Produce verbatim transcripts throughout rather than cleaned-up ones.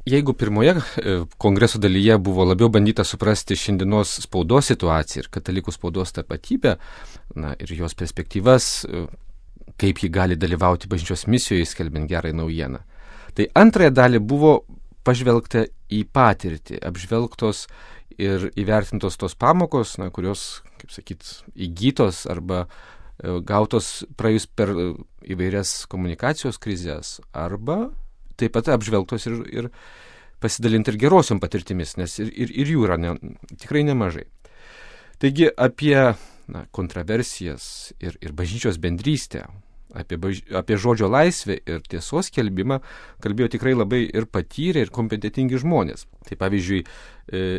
jeigu pirmoje kongreso dalyje buvo labiau bandyta suprasti šiandienos spaudos situaciją ir katalikų spaudos tapatybę, na, ir jos perspektyvas, kaip ji gali dalyvauti bažnyčios misijoje skelbiant gerąją naujieną, tai antrąją dalį buvo pažvelgta į patirtį, apžvelgtos ir įvertintos tos pamokos, na, kurios, kaip sakyt, įgytos arba gautos praėjus per įvairias komunikacijos krizės, arba taip pat apžvelgtos ir, ir pasidalinti ir gerosiom patirtimis, nes ir, ir, ir jų yra ne, tikrai nemažai. Taigi apie na, kontroversijas ir, ir bažnyčios bendrystę, apie, baž... apie žodžio laisvę ir tiesos skelbimą kalbėjo tikrai labai ir patyrę, ir kompetentingi žmonės. Tai pavyzdžiui,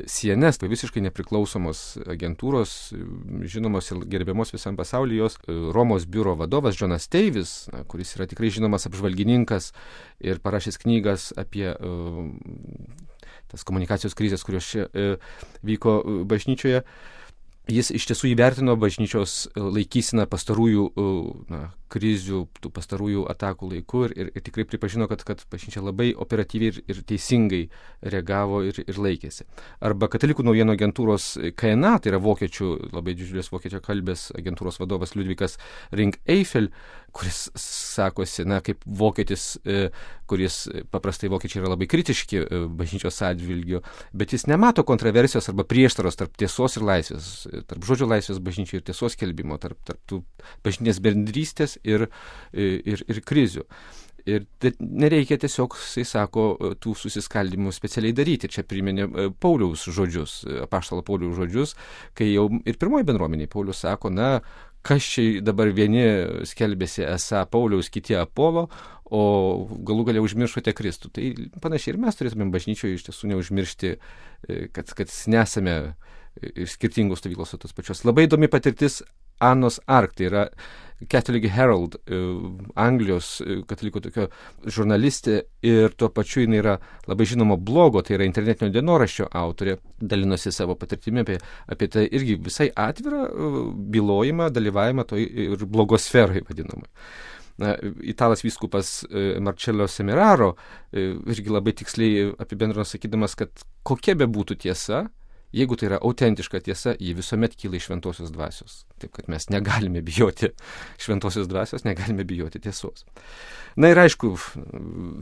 C N S, tai visiškai nepriklausomos agentūros, žinomos ir gerbiamos visam pasaulyje, jos Romos biuro vadovas Jonas Teivis, na, kuris yra tikrai žinomas apžvalgininkas ir parašęs knygas apie uh, tas komunikacijos krizės, kurios čia uh, vyko bažnyčioje. Jis iš tiesų įvertino bažnyčios laikyseną pastarųjų na, krizių, tų pastarųjų atakų laiku ir, ir, ir tikrai pripažino, kad, kad bažnyčia labai operatyviai ir, ir teisingai reagavo ir, ir laikėsi. Arba katalikų naujienų agentūros K N A, tai yra vokiečių, labai didžiulės vokiečio kalbės agentūros vadovas Liudvikas Rinck-Eifel, kuris sakosi, na, kaip vokietis, kuris paprastai vokiečiai yra labai kritiški bažnyčios atžvilgiu, bet jis nemato kontroversijos arba prieštaros tarp tiesos ir laisvės, tarp žodžio laisvės bažnyčiai ir tiesos skelbimo, tarp, tarp tų bažnytinės bendrystės ir, ir, ir krizių. Ir nereikia tiesiog, jisai sako, tų susiskaldimų specialiai daryti. Čia priminė Pauliaus žodžius, apaštalo Pauliaus žodžius, kai jau ir pirmoji bendruomenė Paulius sako, na, kas čia dabar vieni skelbėsi esą Pauliaus, kiti Apolo, o galų galia užmiršote Kristų. Tai panašiai ir mes turėtumėm bažnyčioje iš tiesų neužmiršti, kad, kad nesame skirtingos stovyklos tos pačios. Labai įdomi patirtis Anos Ark, tai yra Catholic Herald, Anglijos katalikų tokio žurnalistė ir tuo pačiu jinai yra labai žinoma blogo, tai yra internetinio dienoraščio autorė, dalinosi savo patirtimi apie, apie tai irgi visai atvirą bylojimą, dalyvavimą toj ir blogosferai vadinamai. Na, italas vyskupas Marcello Semeraro irgi labai tiksliai apibendrino sakydamas, kad kokia be būtų tiesa, jeigu tai yra autentiška tiesa, ji visuomet kyla iš šventosios dvasios. Taip, kad mes negalime bijoti šventosios dvasios, negalime bijoti tiesos. Na ir aišku,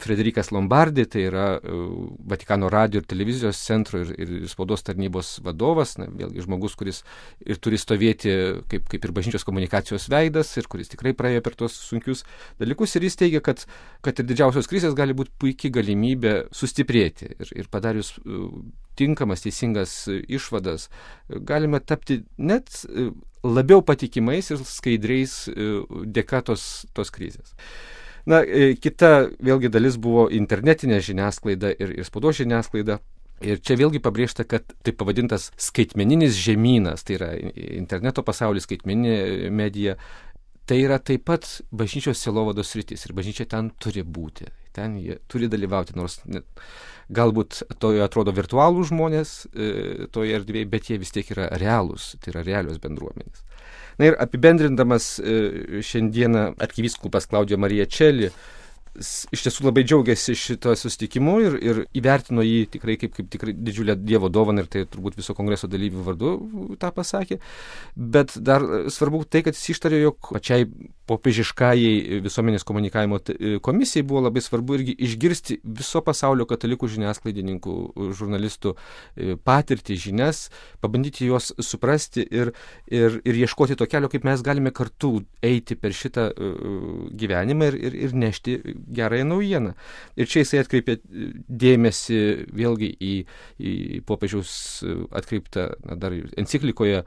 Frederikas Lombardi, tai yra Vatikano radijo ir televizijos centro ir, ir spaudos tarnybos vadovas, na, vėlgi žmogus, kuris ir turi stovėti kaip, kaip ir bažnyčios komunikacijos veidas ir kuris tikrai praėjo per tuos sunkius dalykus ir jis teigia, kad, kad ir didžiausios krizės gali būti puikiai galimybė sustiprėti ir, ir padarius tinkamas, teisingas išvadas, galime tapti net labiau patikimais ir skaidriais dėka tos, tos krizės. Na, kita vėlgi dalis buvo internetinė žiniasklaida ir, ir spaudos žiniasklaida. Ir čia vėlgi pabrėžta, kad taip pavadintas skaitmeninis žemynas, tai yra interneto pasaulis, skaitmeninė medija, tai yra taip pat bažnyčios sielovados sritis ir bažnyčia ten turi būti, ten jie turi dalyvauti, nors net, galbūt to atrodo virtualų žmonės e, toje erdvėje, bet jie vis tiek yra realūs, tai yra realios bendruomenės. Na ir apibendrindamas e, šiandieną arkivyskupas Klaudijo Marija Čeli iš tiesų labai džiaugiasi šito susitikimu ir, ir įvertino jį tikrai kaip, kaip tikrai didžiulę Dievo dovaną ir tai turbūt viso kongreso dalyvių vardu tą pasakė. Bet dar svarbu tai, kad jis ištarė, jog pačiai popiežiškajai visuomenės komunikavimo komisijai buvo labai svarbu irgi išgirsti viso pasaulio katalikų žiniasklaidininkų, žurnalistų patirtį, žinias, pabandyti juos suprasti ir, ir, ir ieškoti to kelio, kaip mes galime kartu eiti per šitą gyvenimą ir, ir, ir nešti gerąją naujieną. Ir čia jisai atkreipė dėmesį vėlgi į, į popiežiaus atkreiptą na, dar enciklikoje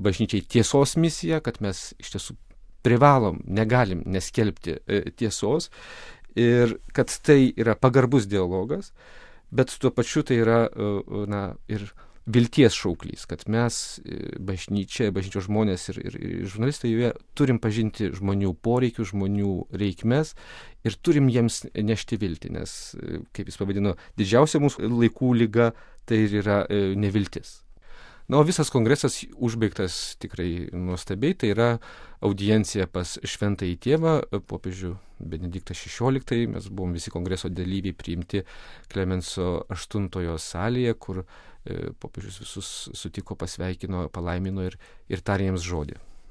bažnyčiai tiesos misiją, kad mes iš tiesų privalom, negalim neskelbti tiesos ir kad tai yra pagarbus dialogas, bet tuo pačiu tai yra na, ir vilties šauklys, kad mes bažnyčia, bažnyčios žmonės ir, ir, ir žurnalistai joje turim pažinti žmonių poreikius, žmonių reikmes ir turim jiems nešti viltį, nes, kaip jis pavadino, didžiausia mūsų laikų liga tai yra neviltis. Na, o visas kongresas užbaigtas tikrai nuostabiai, tai yra audiencija pas šventąjį tėvą, popiežių Benediktą šešioliktąjį, mes buvom visi kongreso dalyviai priimti Klemenso aštuntojo salėje, kur popiežius visus sutiko, pasveikino, palaimino ir, ir tarė jiems žodį.